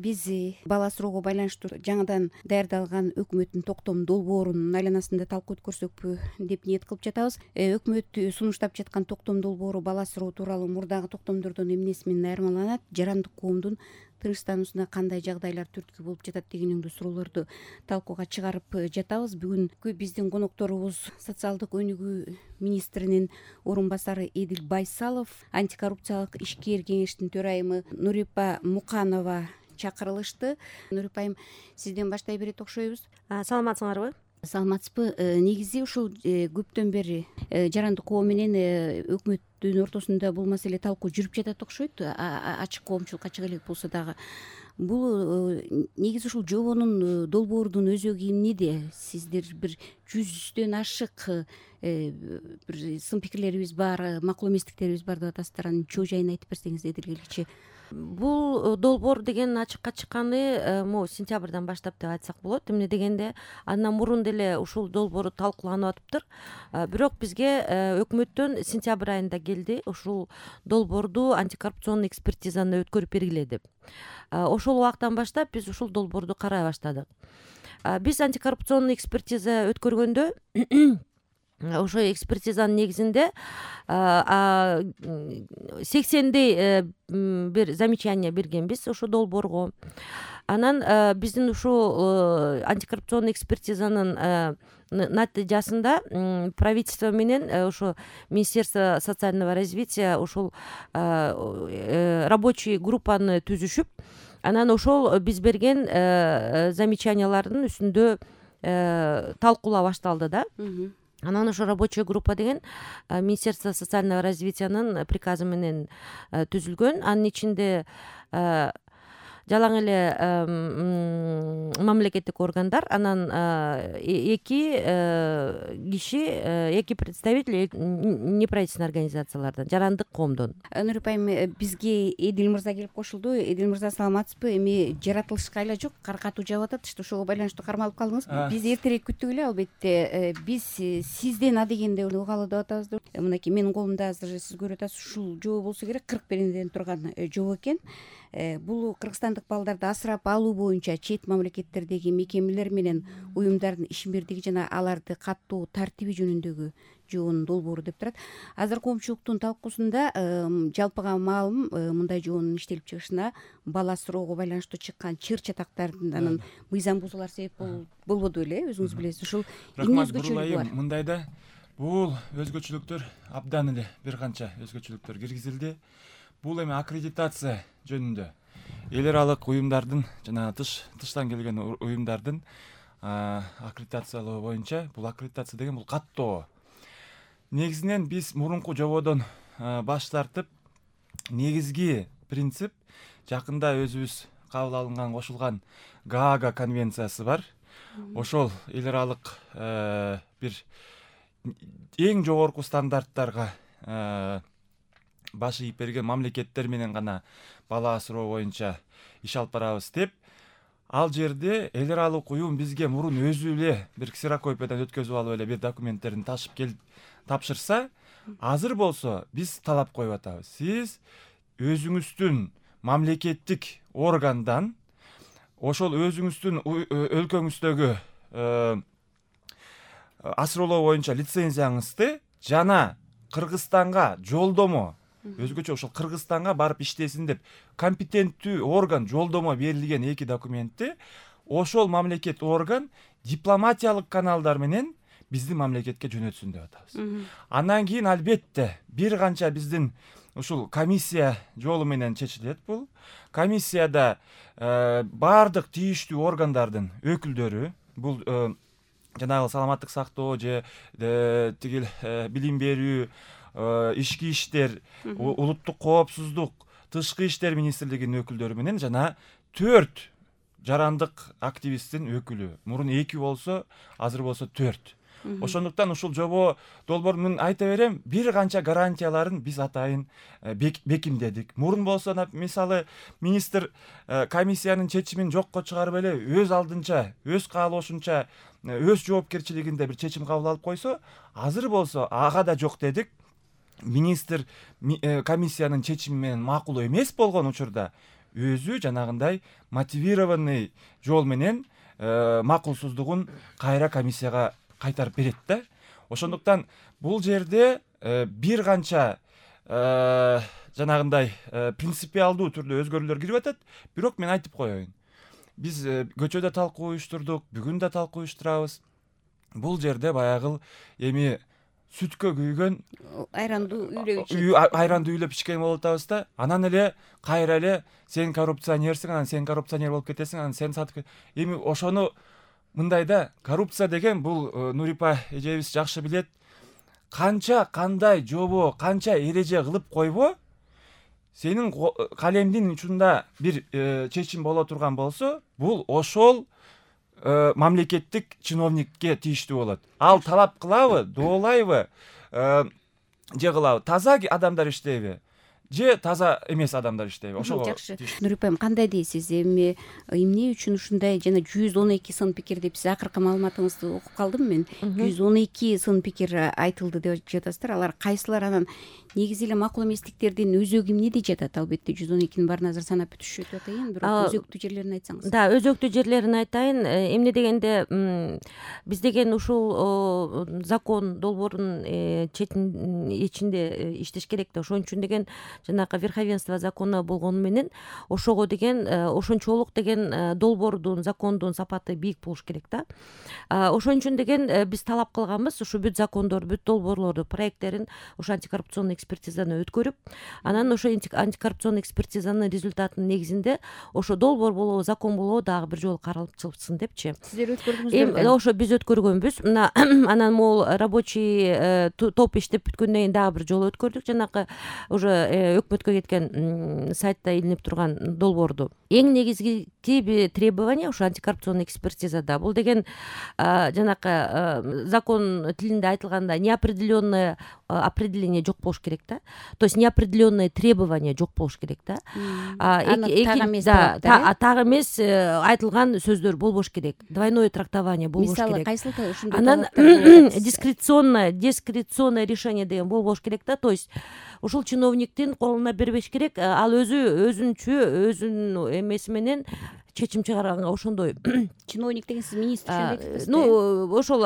биз бала асыроого байланыштуу жаңыдан даярдалган өкмөттүн токтом долбоорунун айланасында талкуу өткөрсөкпү деп ниет кылып жатабыз. Өкмөт сунуштап жаткан токтом долбоору бала асыроо тууралуу мурдагы токтомдордон эмнеси менен айырмаланат, жарандык коомдун тынчтануусуна кандай жагдайлар түрткү болуп жатат дегендей суроолорду талкууга чыгарып жатабыз. Бүгүнкү биздин конокторубуз социалдык өнүгүү министринин орун басары Эдил Байсалов, антикоррупциялык ишкер кеңештин төрайымы Нурипа Муканова чакырылышты. Нурипа айым, сизден баштай берет окшойбуз. Саламатсыңарбы? Саламатсызбы. Негизи ушул көптөн бери жарандык коом менен өкмөттүн ортосунда бул маселе талкуу жүрүп жатат окшойт. Ачык коомчулукка чыга элек болсо дагы. Бул негизи ушул жобонун долбоордун өзөгү эмнеде? Сиздер бир 100дөн ашык бир сын пикирлерибиз бар, макул эместиктерибиз бар деп атасыздар. Анын чоо жайын айтып берсеңиз эдилгеличи. Бул долбоор деген ачыкка чыкканы могу сентябрдан баштап деп айтсак болот. Эмне дегенде андан мурун деле ушул долбоор талкууланып атыптыр. Бирок бизге өкмөттөн сентябрь айында келди ушул долбоорду антикоррупционный экспертизаны өткөрүп бергиле деп. Ошол убактан баштап биз ушул долбоорду карай баштадык. Биз антикоррупционный экспертиза өткөргөндө ошо экспертизанын негизинде 80дей бир замечание бергенбиз ошо долбоорго. Анан биздин ушул антикоррупционный экспертизанын натыйжасында правительство менен ошо Министерство социального развития ушул рабочий группаны түзүшүп, анан ошол биз берген замечаниялардын үстүндө талкуулоо башталды да. Анан ошо рабочая группа деген Министерство социального развитиянын приказы менен түзүлгөн. Анын ичинде жалаң эле мамлекеттик органдар, анан эки киши, эки представитель неправительственный организациялардан, жарандык коомдон. Нурипа айым, бизге Эдил мырза келип кошулду. Эдил мырза, саламатсызбы? Эми жаратылышка айла жок, кар катуу жаап атат. Ошого байланыштуу кармалып калдыңыз. Биз эртерээк күттүк эле, албетте. Биз сизден адегенде угалы деп атабыз. Мынакей менин колумда азыр сиз көрүп атасыз, ушул жобо болсо керек, 41ден турган жобо экен. Бул кыргызстандык балдарды асырап алуу боюнча чет мамлекеттердеги мекемелер менен уюмдардын ишмердиги жана аларды каттоо тартиби жөнүндөгү жобонун долбоору деп турат. Азыр коомчулуктун талкуусунда жалпыга маалым мындай жобонун иштелип чыгышына бала асыроого байланыштуу чыккан чыр чатактардын анын мыйзам бузуулар себеп болбоду беле, өзүңүз билесиз. Ушул эмне өзгөчөлүгү бар? Мындайда бул өзгөчөлүктөр абдан эле бир канча өзгөчөлүктөр киргизилди. Бул эми аккредитация жөнүндө эл аралык уюмдардын жана тыштан келген уюмдардын аккредитациялоо боюнча, бул аккредитация деген бул каттоо. Негизинен биз мурунку жободон баш тартып, негизги принцип жакында өзүбүз кабыл алынган, кошулган Гаага конвенциясы бар. Ошол эл аралык бир эң жогорку стандарттарга баш ийип берген мамлекеттер менен гана бала асыроо боюнча иш алып барабыз деп, ал жерде эл аралык уюм бизге мурун өзү эле бир ксерокопиядан өткөзүп алып эле бир документтерин ташып келип тапшырса, азыр болсо биз талап коюп атабыз. Сиз өзүңүздүн мамлекеттик органдан ошол өзүңүздүн өлкөңүздөгү асыроолоо боюнча лицензияңызды жана Кыргызстанга жолдомо, өзгөчө ошол Кыргызстанга барып иштесин деп компетенттүү орган жолдомо берилген эки документти ошол мамлекет орган дипломатиялык каналдар менен биздин мамлекетке жөнөтсүн деп атабыз. Андан кийин албетте бир канча биздин ушул комиссия жолу менен чечилет бул. Комиссияда баардык тийиштүү органдардын өкүлдөрү, бул жанагы саламаттык сактоо же тигил билим берүү, ички иштер, улуттук коопсуздук, тышкы иштер министрлигинин өкүлдөрү менен жана 4 жарандык активисттин өкүлү. Мурун 2 болсо, азыр болсо 4. Ошондуктан ушул жобо долбоорун айта берем, бир канча гарантияларын биз атайын бекемдедик. Мурун болсо, мисалы, министр комиссиянын чечимин жокко чыгарып эле өз алдынча, өз каалоошунча, өз жоопкерчилигинде бир чечим кабыл алып койсо, азыр болсо ага да жок дедик. Министр комиссиянын чечими менен макул эмес болгон учурда өзү жанагындай мотивированный жол менен макулсуздугун кайра комиссияга кайтарып берет да. Ошондуктан бул жерде бир канча жанагындай принципиалдуу түрдө өзгөрүүлөр кирип атат. Бирок мен айтып коеюн, биз көчөдө талкуу уюштурдук, бүгүн да талкуу уюштурабыз. Бул жерде баягы эми сүткө күйгөн айранды үйлөп ичкен болуп атабыз да. Анан эле кайра эле сен коррупционерсиң, анан сен коррупционер болуп кетесиң, анан сен сатып эми ошону мындай да, коррупция деген бул Нурипа эжебиз жакшы билет. Канча кандай жобо, канча эреже кылып койбо, сенин калемдин учунда бир чечим боло турган болсо, бул ошол мамлекеттик чиновникке тийиштүү болот. Ал талап кылабы, доолайбы, же кылабы, таза адамдар иштейби, же таза эмес адамдар иштейби, ошого жакшы. Нурипа айым, кандай дейсиз? Эми эмне үчүн ушундай жана 112 сын пикир деп сиз акыркы маалыматыңызды окуп калдым мен. 112 сын пикир айтылды деп жатасыздар. Алар кайсылар, анан негизи эле макул эместиктердин өзөгү эмнеде жатат? Албетте 112-нин баарын азыр санап бүтүшүп атайын, бирок өзөктүү жерлерин айтсаңыз. Да, өзөктүү жерлерин айтайын. Эмне дегенде биз деген ушул закон долбоорунун ичинде иштеш керек да. Ошон үчүн деген жанагы верховенство закона болгону менен ошого деген ошончолук деген долбоордун, закондун сапаты бийик болуш керек да. Ошон үчүн деген биз талап кылганбыз ушу бүт закондор, бүт долбоорлорду, проекттерин ошо антикоррупционный экспертизаны өткөрүп, анан ошо антикоррупционный экспертизанын результатынын негизинде ошо долбоор болобу, закон болобу дагы бир жолу каралып чыксын депчи. Сиздер өткөрдүңүздөр? Ошо биз өткөргөнбүз. Мына анан могул рабочий топ иштеп бүткөндөн кийин дагы бир жолу өткөрдүк. Жанакы уже өкмөткө кеткен сайтта илинип турган долбоорду. Эң негизги требование ошо антикоррупционный экспертизада. Бул деген жанакы закон тилинде айтылганда неопределенное определение жок болуш керек да. То есть неопределенное требование жок болуш керек да. Так эмес айтылган сөздөр болбош керек. Двойное трактование болбош керек. Мисалы кайсыл ушундай анан дискреционное решение деген болбош керек да. То есть ушул чиновниктин колуна бербеш керек. Ал өзүнчө өзүнүн эмеси менен чечим чыгарганга ошондой. Чиновник деген сиз министр үчүн айтасыз? Ошол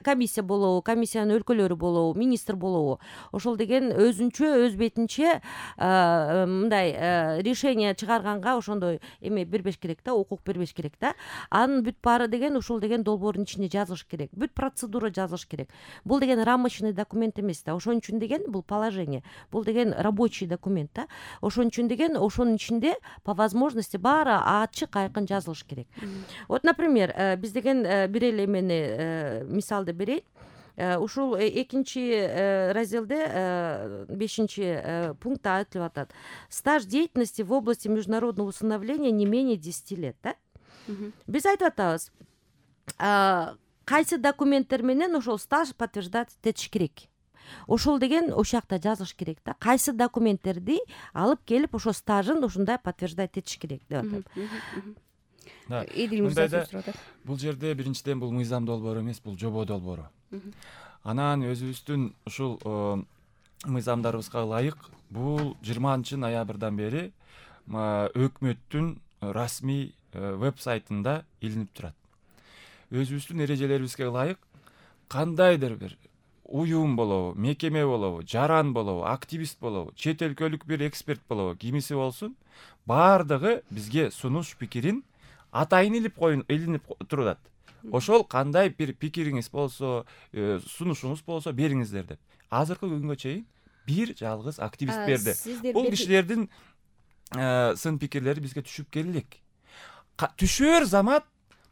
комиссия болобу, комиссиянын өлкөлөрү болобу, министр болобу. Ошол деген өзүнчө, өз бетинче мындай решение чыгарганга ошондой эме бербеш керек да, укук бербеш керек да. Анын бүт баары деген ушул деген долбоордун ичинде жазылыш керек. Бүт процедура жазылыш керек. Бул деген рамочный документ эмес да. Ошон үчүн деген бул положение. Бул деген рабочий документ да. Ошон үчүн деген ошонун ичинде по возможности баары ачык айкын жазылыш керек. Вот, например, биз деген бир эле эмени мисалды берейин. Ушул экинчи разделде 5-чи пунктта айтылып атат. Стаж деятельности в области международного усыновления не менее 10 лет, да? Биз айтып атабыз, кайсы документтер менен ошол стаж подтверждать этиш керек. Ошол деген ошол жакта жазылыш керек да. Кайсы документтерди алып келип ошо стажын ушундай подтверждать этиш керек деп атат. Эдил мырза сурап атат. Бул жерде биринчиден бул мыйзам долбоору эмес, бул жобо долбоору. Анан өзүбүздүн ушул мыйзамдарыбызга ылайык бул 20-ноябрдан бери өкмөттүн расмий веб-сайтында илинип турат. Өзүбүздүн эрежелерибизге ылайык кандайдыр бир уюм болобу, мекеме болобу, жаран болобу, активист болобу, чет өлкөлүк бир эксперт болобу, кимиси болсун, баардыгы бизге сунуш пикирин атайын илинип турат. Ошол кандай бир пикириңиз болсо, сунушуңуз болсо бериңиздер деп. Азыркы күнгө чейин бир жалгыз активист берди. Бул кишилердин сын пикирлери бизге түшүп келелек. Түшөр замат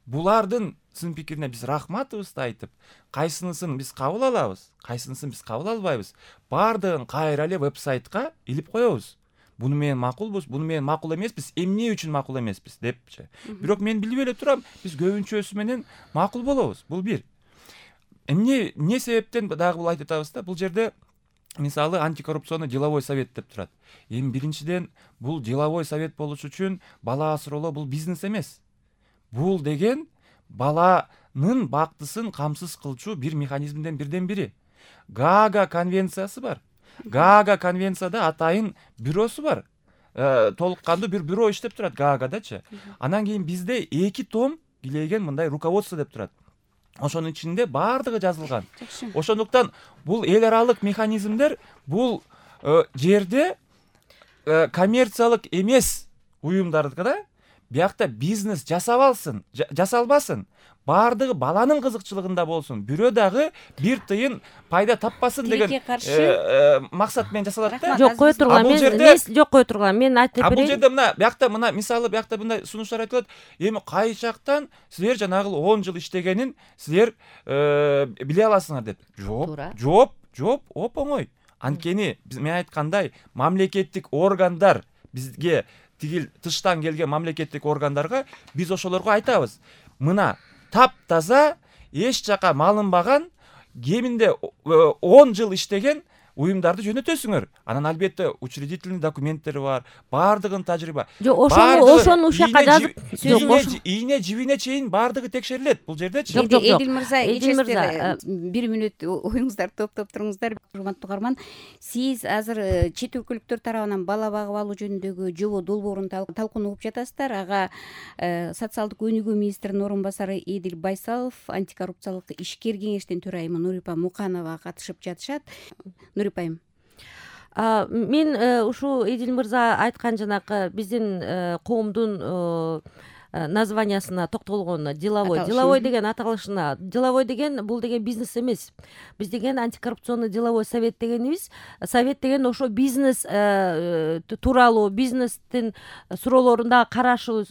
булардын сын пикирине биз рахматыбызды айтып, кайсынысын биз кабыл алабыз, кайсынысын биз кабыл албайбыз, баардыгын кайра эле веб-сайтка илип коебуз. Буну менен макулбуз, буну менен макул эмеспиз, эмне үчүн макул эмеспиз депчи. Бирок мен билип эле турам, биз көбүнчөсү менен макул болобуз. Бул бир. Эмне себептен дагы бул айтып атабыз да, бул жерде мисалы антикоррупционный деловой совет деп турат. Эми биринчиден бул деловой совет болуш үчүн бала асыроолоо бул бизнес эмес. Бул деген баланын бактысын камсыз кылчу бир механизмден бирден бири. Гаага конвенциясы бар. Гаага конвенцияда атайын бюросу бар. толук кандуу бир бюро иштеп турат Гаагадачы. Анан кийин бизде 2 том килейген мындай руководство деп турат. Ошонун ичинде баардыгы жазылган. Ошондуктан бул эл аралык механизмдер бул жерде коммерциялык эмес уюмдардыкы биякта бизнес жасалбасын, баардыгы баланын кызыкчылыгында болсун, бирөө дагы бир тыйын пайда таппасын деген максат менен жасалат да. Жок, кое тургула, мен айтып берейин. Бул жерде биякта мисалы биякта мындай сунуштар айтылат. Эми кайчактан силер жанагы 10 жыл иштегенин силер биле аласыңар деп. Жооп оп-оңой. Анткени мен айткандай мамлекеттик органдар бизге тигил тыштан келген мамлекеттик органдарга биз ошолорго айтабыз. Мына таптаза эч жака малынбаган кеминде 10 жыл иштеген уюмдарды жөнөтөсүңөр. Анан албетте учредительный документтери бар, баардыгын тажрыйба. Ошону ушакка жазып, ийне жибине чейин баардыгы текшерилет бул жердечи. Эдил мырза, 1 мүнөт оюңуздарды топтоп туруңуздар. Урматтуу угарман, сиз азыр чет өлкөлүктөр тарабынан бала багып алуу жөнүндөгү жобо долбоорун талкууну угуп жатасыздар. Ага социалдык өнүгүү министринин орун басары Эдил Байсалов, антикоррупциялык ишкер кеңештин төрайымы Нурипа Муканова катышып жатышат. Нурипайым, мен ушу Эдил мырза айткан жанакы биздин коомдун названиясына токтолгонуна, деловой деген аталышына. Деловой деген бул деген бизнес эмес. Биз деген антикоррупционный деловой совет дегенибиз. Совет деген ошо бизнес тууралуу, бизнестин суроолорунда карашыбыз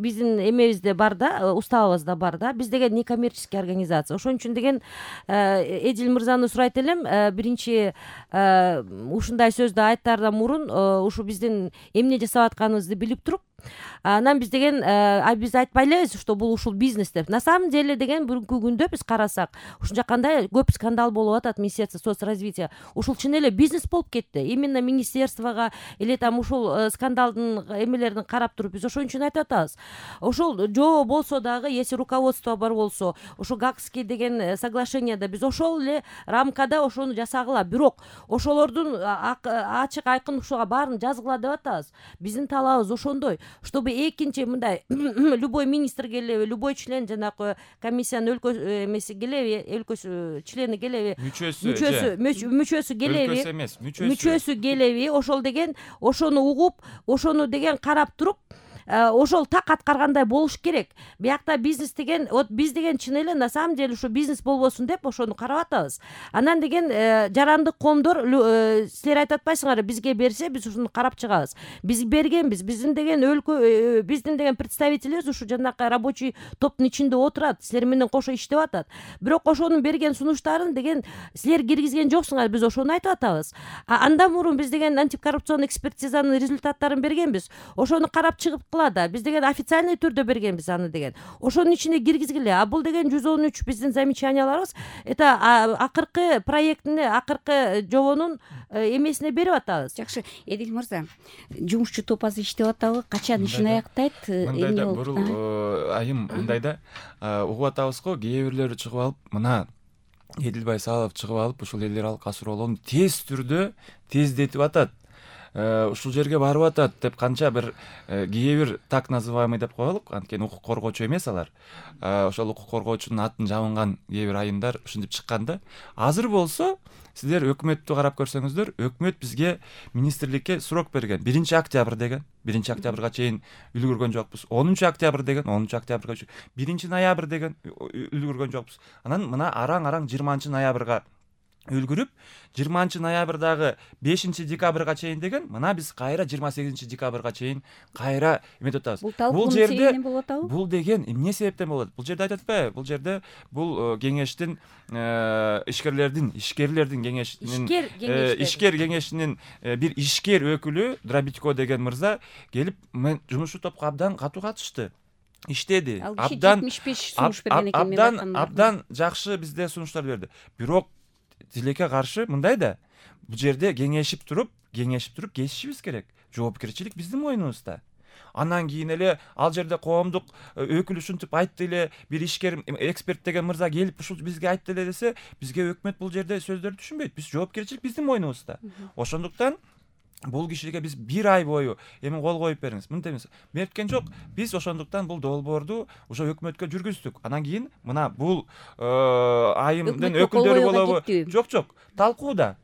биздин эмебизде бар да, уставыбызда бар да. Биз деген некоммерческий организация. Ошон үчүн деген Эдил мырзаны сурайт элем, биринчи ушундай сөздү айтаардан мурун ушу биздин эмне жасап атканыбызды билип туруп, анан биз деген биз айтпай элебиз, что бул ушул бизнес деп. На самом деле деген бүгүнкү күндө биз карасак, ушунча кандай көп скандал болуп атат Министерство соцразвития. Ушул чын эле бизнес болуп кетти. Именно министерствого или там ушул скандалдын эмелерин карап туруп биз ошон үчүн айтып атабыз. Ошол жобо болсо дагы, если руководство бар болсо, ошо Гаагский деген соглашенияда биз ошол эле рамкада ошону жасагыла. Бирок ошолордун ачык айкын ушуга баарын жазгыла деп атабыз. Биздин талабыбыз ошондой, чтобы экинчи мындай любой министр келеби, любой член жанакы комиссиянын өлкө эмеси келеби, өлкөсү члени келеби, мүчөсү келеби, мүчөсү келеби, ошол деген ошону угуп, ошону деген карап туруп, ошол так аткаргандай болуш керек. Биякта бизнес деген, вот биз деген чын эле на самом деле ушу бизнес болбосун деп ошону карап атабыз. Анан деген жарандык коомдор силер айтып атпайсыңарбы, бизге берсе биз ушуну карап чыгабыз. Биз бергенбиз. Биздин деген өлкө, биздин деген представительбиз ушу жанакы рабочий топтун ичинде отурат, силер менен кошо иштеп атат. Бирок ошонун берген сунуштарын деген силер киргизген жоксуңар, биз ошону айтып атабыз. Андан мурун биз деген антикоррупционный экспертизанын результаттарын бергенбиз. Ошону карап чыгып да, биз деген официальный түрдө бергенбиз аны деген. Ошонун ичине киргизгиле. А бул деген 113 биздин замечанияларыбыз, это акыркы проектине, акыркы жобонун эмесине берип атабыз. Жакшы, Эдил мырза, жумушчу топ азыр иштеп атабы? Качан ишин аяктайт? Мындайда бурул айым мындайда угуп атабыз го, кээ бирлери чыгып алып, мына Эдил Байсалов чыгып алып, ушул эл аралык суроолорду тез түрдө тездетип атат. Ушул жерге барып атат деп канча бир кээ бир так называемый деп коелук, анткени укук коргоочу эмес алар. Ошол укук коргоочунун атын жабынган кээ бир айымдар ушинтип чыкканда, азыр болсо силер өкмөттү карап көрсөңүздөр, өкмөт бизге министрликке срок берген. 1-октябрь деген, 1-октябрга чейин үлгүргөн жокпуз. 10-октябрь деген, 10-октябрга чейин, 1-ноябрь деген үлгүргөн жокпуз. Анан мына араң 20-ноябрга үлгүрүп, 20-ноябрдагы 5-декабрга чейин деген, мына биз кайра 28-декабрга чейин кайра эметип атабыз. Бул жерде бул деген эмне себептен болот? Бул жерде айтып атпайбы? Бул жерде бул кеңештин ишкерлердин кеңешинин ишкер кеңешинин бир ишкер өкүлү Дробитько деген мырза келип, мен жумушчу топко абдан катуу катышты. Иштеди. Абдан жакшы бизде сунуштар берди. Бирок тилекке каршы мындай да, бул жерде кеңешип туруп кесишибиз керек. Жоопкерчилик биздин мойнубузда. Андан кийин эле ал жерде коомдук өкүл ушинтип айтты эле, бир ишкер эксперт деген мырза келип ушул бизге айтты эле десе, бизге өкмөт бул жерде сөздөрдү түшүнбөйт. Биз жоопкерчилик биздин мойнубузда. Ошондуктан бул кишиге биз 1 ай бою эми кол коюп бериңиз, мынтип эмес. Мен айткан жок. Биз ошондуктан бул долбоорду ошо өкмөткө жүргүздүк. Анан кийин мына бул айымдын өкүлдөрү болобу? Жок. Талкууда.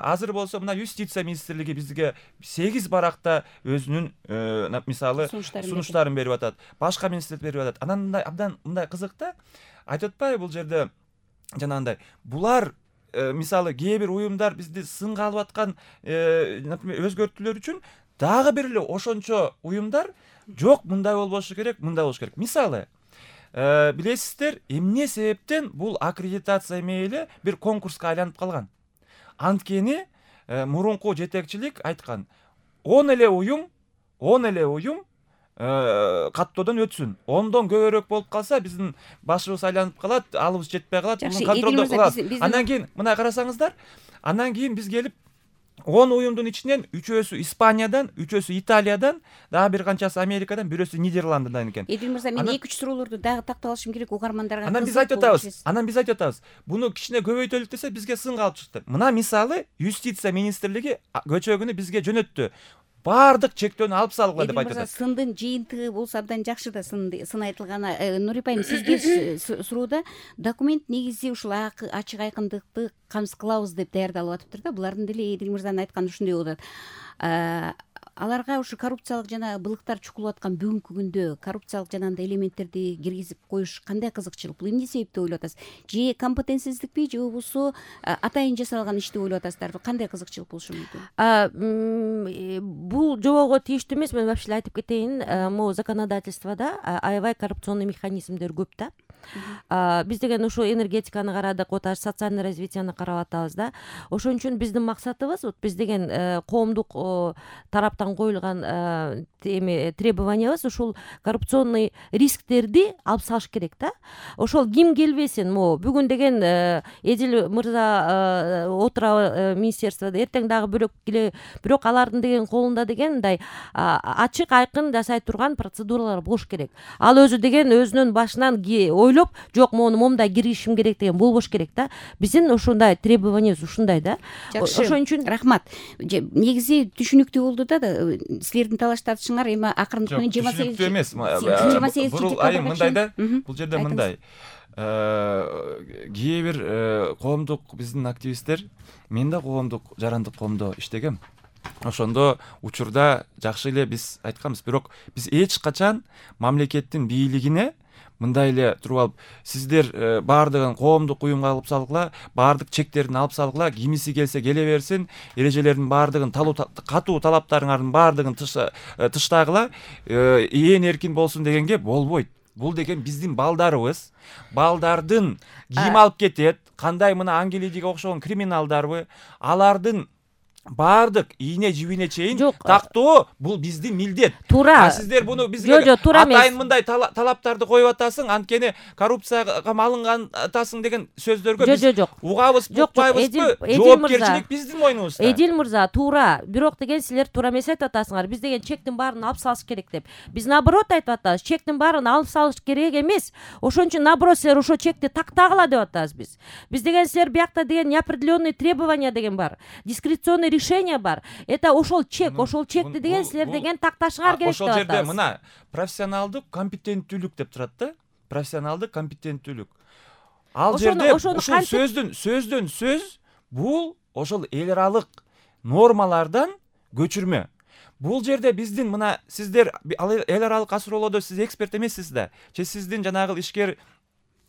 Азыр болсо мына юстиция министрлиги бизге 8 баракта өзүнүн мисалы сунуштарын берип атат. Башка министрлик берип атат. Анан абдан мындай кызык да. Айтып атпайбы бул жерде жанагындай булар мисалы кээ бир уюмдар бизди сынга алып аткан например өзгөртүүлөр үчүн дагы бир эле ошончо уюмдар жок, мындай болбошу керек, мындай болуш керек. Мисалы билесиздер, эмне себептен бул аккредитация мейли бир конкурска айланып калган. Анткени мурунку жетекчилик айткан 10 эле уюм каттоодон өтсүн. 10дон көбүрөөк болуп калса биздин башыбыз айланып калат, алыбыз жетпей калат, муну контролдо кылат. Андан кийин мына карасаңыздар, андан кийин биз келип 10 уюмдун ичинен 3-өсү Испаниядан, 3-өсү Италиядан, дагы бир канчасы Америкадан, бирөөсү Нидерландыдан экен. Эдил мырза, мен 2-3 суроолорду дагы тактап алышым керек угармандарга. Анан биз айтып атабыз. Буну кичине көбөйтөлүк десе бизге сынга алып чыкты. Мына мисалы юстиция министрлиги көчөгүнү бизге жөнөттү. Бардык чектөөнү алып салгыла деп айтып атат. Сындын жыйынтыгы болсо абдан жакшы да, сын айтылганы. Нурипа айым, сизге суроодо документ негизи ушул ачык айкындыкты камсыз кылабыз деп даярдалып атыптыр да. Булардын деле Эдил мырзанын айтканы ушундай болуп атат. Аларга ушу коррупциялык жана былыктар чукулуп аткан бүгүнкү күндө коррупциялык жанагындай элементтерди киргизип коюш кандай кызыкчылык? Бул эмне себептеп ойлоп атасыз? Же компетенциялыкпи, же болбосо атайын жасалган иш деп ойлоп атасыздарбы? Кандай кызыкчылык болушу мүмкүн? Бул жоого тийиштүү эмес. Мен вообще айтып кетейин, могу законодательстводо аябай коррупционный механизмдер көп да. Биз деген ушу энергетиканы карадык, оташ социальный развитияны карап атабыз да. Ошон үчүн биздин максатыбыз, биз деген коомдук тараптан коюлган требованиябыз ушул коррупционный рисктерди алып салыш керек да. Ошол ким келбесин, могу бүгүн деген Эдил мырза отура министерстводо, эртең дагы бирок келе, бирок алардын деген колунда деген мындай ачык айкын жасай турган процедуралар болуш керек. Ал өзү деген өзүнүн башынан ойлоп, жок мону момундай киргизишим керек деген болбош керек да. Биздин ушундай требованиябыз ушундай да. Ошон үчүн рахмат. Негизи түшүнүктүү болду да, силердин талаш тартышыңар эми акырындык менен 28 түшүнүктүү эмес. Айым мындай да, бул жерде мындай. Кээ бир коомдук биздин активисттер, мен да коомдук жарандык коомдо иштегем. Ошондо учурда жакшы эле биз айтканбыз, бирок биз эч качан мамлекеттин бийлигине мындай эле туруп алып, сиздер баардыгын коомдук уюмга алып салгыла, баардык чектерин алып салгыла, кимиси келсе келе берсин, эрежелердин баардыгын катуу талаптарыңардын баардыгын тыштагыла, ээн эркин болсун дегенге болбойт. Бул деген биздин балдарыбыз, балдардын ким алып кетет, кандай мына Ангелидиге окшогон криминалдарбы, алардын баардык ийне жибине чейин тактоо бул биздин милдет. Туура. Сиздер буну бизге атайын мындай талаптарды коюп атасың, анткени коррупцияга малынган атасың деген сөздөргө биз угабызбы, укпайбызбы? Жоопкерчилик биздин мойнубузда. Эдил мырза, туура. Бирок деген силер туура эмес айтып атасыңар. Биз деген чектин баарын алып салыш керек деп. Биз наоборот айтып атабыз, чектин баарын алып салыш керек эмес. Ошон үчүн наоборот силер ошо чекти тактагыла деп атабыз биз. Биз деген силер биякта деген неопределенные требования деген бар. Дискреционный решение бар. Это ошол чекти деген силер деген такташыңар керек деп атабыз. Ошол жерде мына профессионалдык компетенттүүлүк деп турат да. Профессионалдык компетенттүүлүк. Ал жерде ушул сөздөн сөз бул ошол эл аралык нормалардан көчүрмө. Бул жерде биздин мына сиздер эл аралык асуроолордо сиз эксперт эмессиз да. Же сиздин жанагы ишкер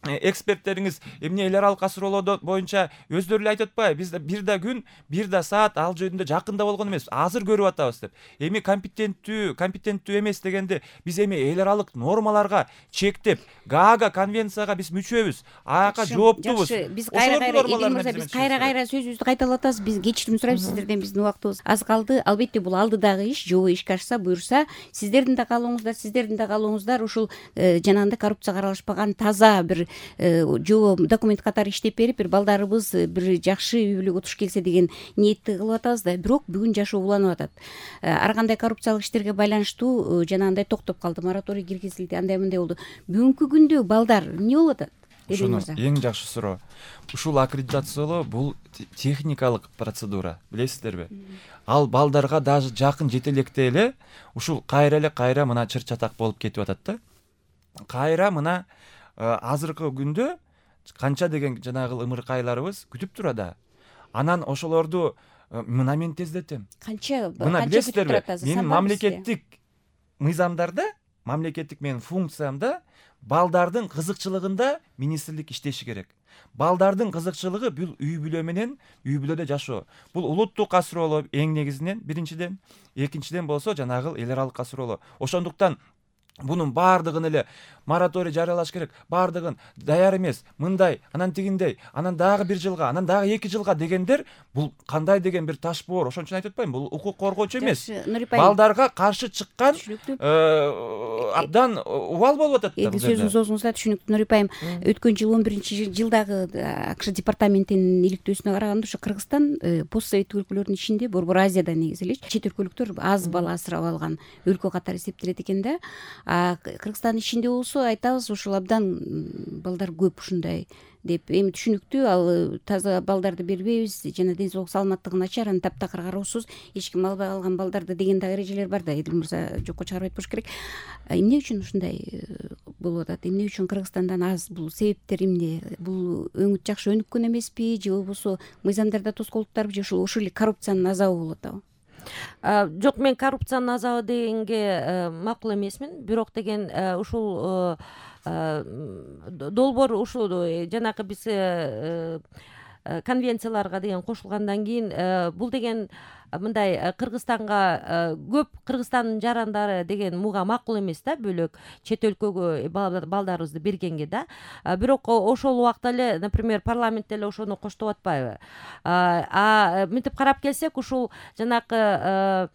эксперттериңиз эмне эл аралык асуроолор боюнча өздөрү эле айтып атпайбы? Биз бир да күн, бир да саат ал жөнүндө жакында болгон эмес, азыр көрүп атабыз деп. Эми компетенттүү эмес дегенде биз эми эл аралык нормаларга чектеп, Гаага конвенцияга биз мүчөбүз. Аяка жооптубуз. Биз кайра сөзүбүздү кайталап атабыз. Биз кечирим сурайбыз сиздерден, биздин убактыбыз аз калды. Албетте бул алдыдагы иш, жобо ишке ашса, буюрса, сиздердин да каалооңуздар ушул жанагындай коррупцияга аралашпаган таза бир жобо документ катары иштеп берип, бир балдарыбыз бир жакшы үй бүлөгө туш келсе деген ниетти кылып атабыз да. Бирок бүгүн жашоо уланып атат. Ар кандай коррупциялык иштерге байланыштуу жанагындай токтоп калды, мораторий киргизилди, андай мындай болду. Бүгүнкү күндө балдар эмне болуп атат? ушуну мырза. эң жакшы суроо. Ушул аккредитациялоо бул техникалык процедура, билесиздерби? Ал балдарга даже жакын жете электе эле ушул кайра мына чыр чатак болуп кетип атат да. Кайра мына азыркы күндө канча деген жанагы ымыркайларыбыз күтүп турат. Анан ошолорду мына мен тездетем. Мына билесиздерби? Менин мамлекеттик мыйзамдарда, мамлекеттик менин функциямда балдардын кызыкчылыгында министрлик иштеши керек. Балдардын кызыкчылыгы бул үй бүлө менен үй бүлөдө жашоо. Бул улуттук касыролоо эң негизинен биринчиден, экинчиден болсо жанагы эл аралык касыролоо. Ошондуктан бунун баардыгын эле мораторий жарыялаш керек. Баардыгын даяр эмес, мындай, анан тигиндей, анан дагы 1 жылга, анан дагы 2 жылга дегендер бул кандай деген бир таш боор. Ошон үчүн айтып атпаймынбы? Бул укук коргоочу эмес. Балдарга каршы чыккан абдан убал болуп атат да бул жерде. Сөзүңүз оозуңузда түшүнүктүү, Нури айым. Өткөн жыл 11-жылдагы АКШ департаментинин иликтөөсүнө караганда ошо Кыргызстан постсоветтик өлкөлөрдүн ичинде Борбор Азияда негизи эле чет өлкөлүктөр аз бала асырап алган өлкө катары эсептелет экен да. Кыргызстандын ичинде болсо айтабыз ушул абдан балдар көп ушундай деп. Эми түшүнүктүү, ал таза балдарды бербейбиз, жана ден соолук саламаттыгы начар, анан таптакыр кароосуз эч ким албай калган балдарды деген да эрежелер бар да. Эдил мырза жокко чыгарып айтпаш керек. Эмне үчүн ушундай болуп атат? Эмне үчүн Кыргызстандан аз? Бул себептер эмне? Бул жакшы өнүккөн эмеспи, же болбосо мыйзамдарда тоскоолдуктарбы, же ушул эле коррупциянын азабы болуп атабы? Жок, мен коррупциянын азабы дегенге макул эмесмин. Бирок деген ушул долбоор ушул жанагы биз конвенцияларга деген кошулгандан кийин бул деген мындай Кыргызстанга көп Кыргызстандын жарандары деген муга макул эмес да, бөлөк чет өлкөгө балдарыбызды бергенге да. Бирок ошол убакта эле, например, парламентте эле ошону коштоп атпайбы? Мынтип карап келсек, ушул жанагы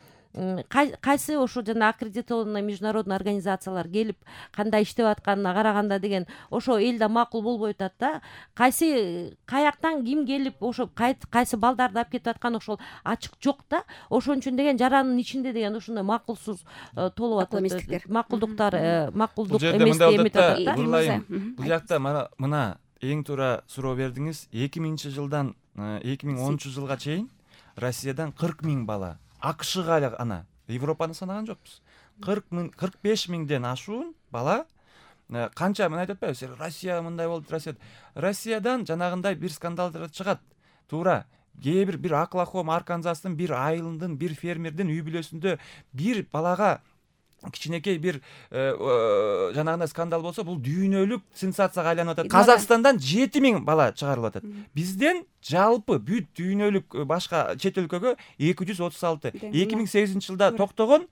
кайсы ошо жана аккредитованный международный организациялар келип кандай иштеп атканына караганда деген ошо элде макул болбой атат да. Каяктан ким келип ошо кайсы балдарды алып кетип атканы ошол ачык жок да. Ошон үчүн деген жарандын ичинде деген ушундай макулсуз толуп атат. Макулдуктар макулдук эмес деп атат да. Бул жакта мына эң туура суроо бердиңиз. 2000-жылдан 2010-жылга чейин Россиядан 40 000 бала, АКШга эле ана Европаны санаган жокпуз. 45 000ден ашуун бала канча мен айтып атпайбы? Россия мындай болду, Россиядан жанагындай бир скандалдар чыгат. Туура. Кээ бир Оклахома, Арканзастын бир айылындын бир фермердин үй бүлөсүндө бир балага кичинекей бир жанагындай скандал болсо, бул дүйнөлүк сенсацияга айланып атат. Казакстандан 7 000 бала чыгарылып атат. Бизден жалпы бүт дүйнөлүк башка чет өлкөгө 236. 2008-жылда токтогон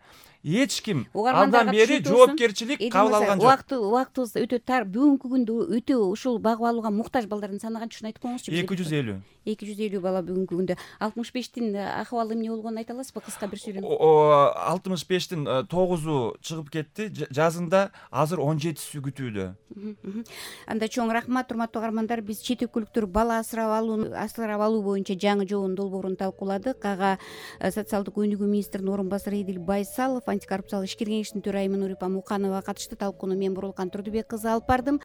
эч ким андан бери жоопкерчилик кабыл алган жок. Убактыбыз өтө тар. Бүгүнкү күндө өтө ушул багып алууга муктаж балдардын саны канча айтып коюңузчу? 250 бала бүгүнкү күндө. 65тин акыбалы эмне болгонун айта аласызбы кыска бир сүйлөм? 65тин 9у чыгып кетти. Жазында азыр 17сү күтүүдө. Анда чоң рахмат, урматтуу каармандар. Биз чет өлкөлүктөр бала асырап алуу боюнча жаңы жобонун долбоорун талкууладык. Ага социалдык өнүгүү министринин орун басары Эдил Байсалов, антикоррупциялык ишкер кеңештин төрайымы Нурипа Муканова катышты. Талкууну мен Бурулкан Турдубек кызы алып бардым.